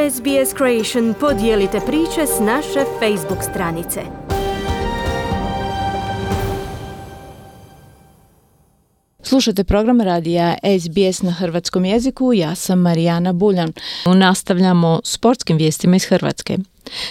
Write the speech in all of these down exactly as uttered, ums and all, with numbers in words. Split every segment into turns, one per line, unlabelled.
S B S Creation podijelite priče s naše Facebook stranice.
Slušate program radija S B S na hrvatskom jeziku, ja sam Marijana Buljan. Nastavljamo sportskim vijestima iz Hrvatske.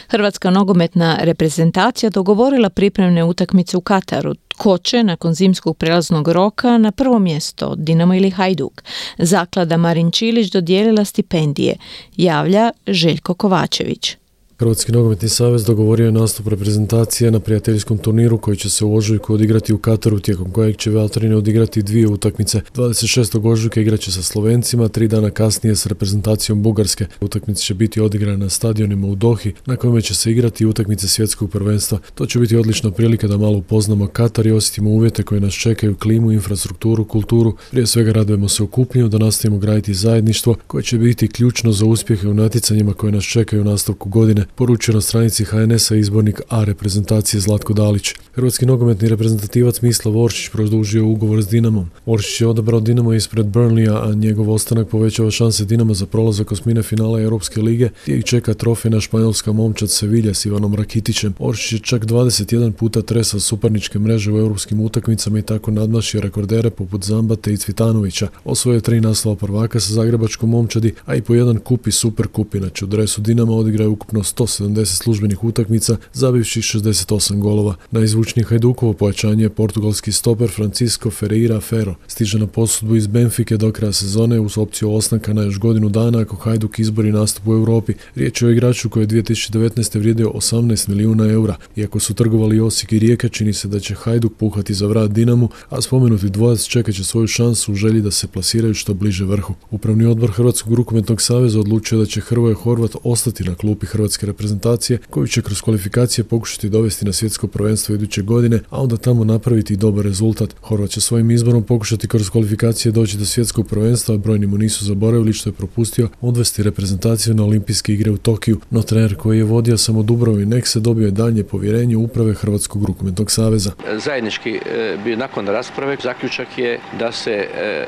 Hrvatska nogometna reprezentacija dogovorila pripremne utakmice u Kataru. Tko će nakon zimskog prelaznog roka na prvo mjesto, Dinamo ili Hajduk? Zaklada Marin Čilić dodijelila stipendije, javlja Željko Kovačević.
Hrvatski nogometni savez dogovorio je nastup reprezentacije na prijateljskom turniru koji će se u ožujku odigrati u Kataru, tijekom kojeg će Valtrine odigrati dvije utakmice. dvadeset šestog ožujka igraće sa Slovencima, tri dana kasnije s reprezentacijom Bugarske. Utakmice će biti odigrane na stadionima u Dohi, na kojima će se igrati utakmice svjetskog prvenstva. To će biti odlična prilika da malo upoznamo Katar i osjetimo uvjete koje nas čekaju, klimu, infrastrukturu, kulturu. Prije svega radujemo se okupljenju, da nastavimo graditi zajedništvo koje će biti ključno za uspjehe u natjecanjima koje nas čekaju u nastavku godine, poručio na stranici H N S-a izbornik A reprezentacije Zlatko Dalić. Hrvatski nogometni reprezentativac Mislav Oršić produžio ugovor s Dinamom. Oršić je odabrao Dinamo ispred Burnleya, a njegov ostanak povećava šanse Dinama za prolazak osmine finala Europske lige, gdje ih čeka trofejna španjolska momčad Sevilla s Ivanom Rakitićem. Oršić je čak dvadeset jedan puta tresao suparničke mreže u europskim utakmicama i tako nadmašio rekordere poput Zambate i Cvitanovića. Osvojio tri naslova prvaka sa zagrebačkom momčadi, a i po jedan kup i super kup. Inače u dresu Dinama odigraju ukupno sto sedamdeset službenih utakmica, zabivši šezdeset osam golova. Najzvučnije Hajdukovo pojačanje je portugalski stoper Francisco Ferreira Ferro. Stiže na posudbu iz Benfike do kraja sezone uz opciju ostanka na još godinu dana ako Hajduk izbori nastup u Europi. Riječ je o igraču koji je dvije tisuće devetnaeste vrijedio osamnaest milijuna eura. Iako su trgovali Osijek i Rijeka, čini se da će Hajduk puhati za vrat Dinamu, a spomenuti dvojac čekat će svoju šansu u želji da se plasiraju što bliže vrhu. Upravni odbor Hrvatskog rukometnog saveza odlučio da će Hrvoje Horvat ostati na klupi Hrvatske reprezentacije, koju će kroz kvalifikacije pokušati dovesti na svjetsko prvenstvo iduće godine, a onda tamo napraviti i dobar rezultat. Horvat će svojim izborom pokušati kroz kvalifikacije doći do svjetskog prvenstva, a brojni mu nisu zaboravili što je propustio odvesti reprezentaciju na olimpijske igre u Tokiju, no trener koji je vodio samo Dubrovo i Nekse dobio je daljnje povjerenje uprave Hrvatskog rukometnog saveza.
Zajednički bi nakon rasprave zaključak je da se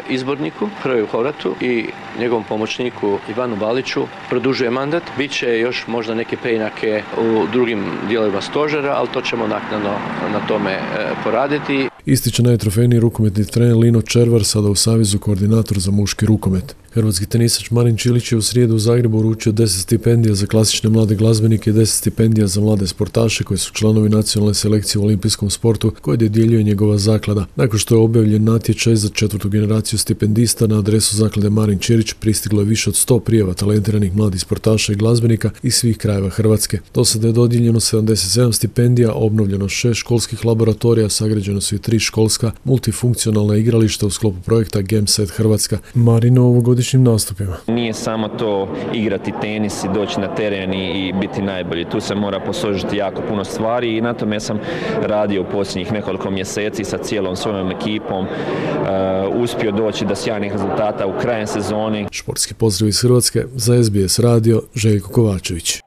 izborniku Hrvoju Horvatu i njegovom pomoćniku Ivanu Baliću produžuje mandat. Biće još možda neke preinake u drugim dijelovima stožera, ali to ćemo naknadno na tome poraditi.
Ističe najtrofejniji rukometni trener Lino Červar, sada u Savezu koordinator za muški rukomet. Hrvatski tenisač Marin Čilić je u srijedu u Zagrebu uručio deset stipendija za klasične mlade glazbenike i deset stipendija za mlade sportaše koji su članovi nacionalne selekcije u olimpijskom sportu koje dodjeljuje njegova zaklada. Nakon što je objavljen natječaj za četvrtu generaciju stipendista, na adresu zaklade Marin Čilić pristiglo je više od sto prijava talentiranih mladih sportaša i glazbenika iz svih krajeva Hrvatske. Do sada je dodijeljeno sedamdeset sedam stipendija, obnovljeno šest školskih laboratorija, sagrađeno su i tri školska multifunkcionalna igrališta u sklopu projekta Gameset Hrvatska. Marino ovogodišnjim nastupima.
Nije samo to igrati tenis i doći na teren i biti najbolji. Tu se mora posložiti jako puno stvari i na tome sam radio u posljednjih nekoliko mjeseci sa cijelom svojom ekipom. Uh, uspio doći do sjajnih rezultata u krajem sezoni.
Športski pozdrav iz Hrvatske za S B S radio, Željko Kovačević.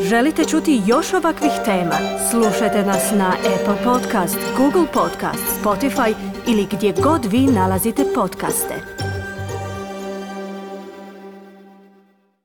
Želite čuti još ovakvih tema? Slušajte nas na Apple Podcast, Google Podcast, Spotify ili gdje god vi nalazite podcaste.